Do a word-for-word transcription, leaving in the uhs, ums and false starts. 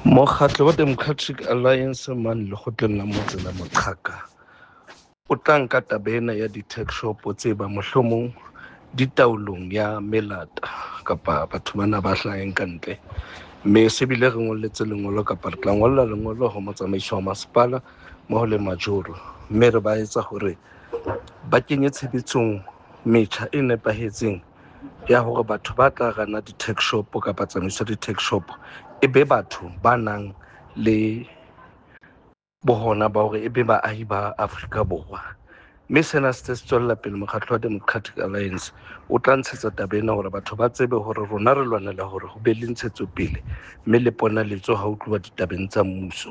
Mokgatlo wa Democratic Alliance mane lekgotleng la motse la Moqhaka o tla nka taba ena ya di-tuck shop tse ba mohlomong di taolong ya melata kapa batho bana ba hlaheng ka ntle, mme se bile re ngolletse lengolo kapa re tla ngolla lengolo ho motsamaisi wa masepala mmoho le majoro, mme re ba etsa hore ba kenye tshebetsong metjha e nepahetseng ya hore batho ba tla rana di-tuck shop kapa tsamaiso ya di-tuck shop e be batho ba nang le bohona ba hore e be baahi ba Afrika Borwa. Mme sena se se tswella pele. Mokgatlo wa Democratic Alliance o tla ntshetsa taba ena hore batho ba tsebe hore rona re lwanela hore ho be le ntshetsopele mme le ponaletso ha ho tluwa ditabeng tsa mmuso.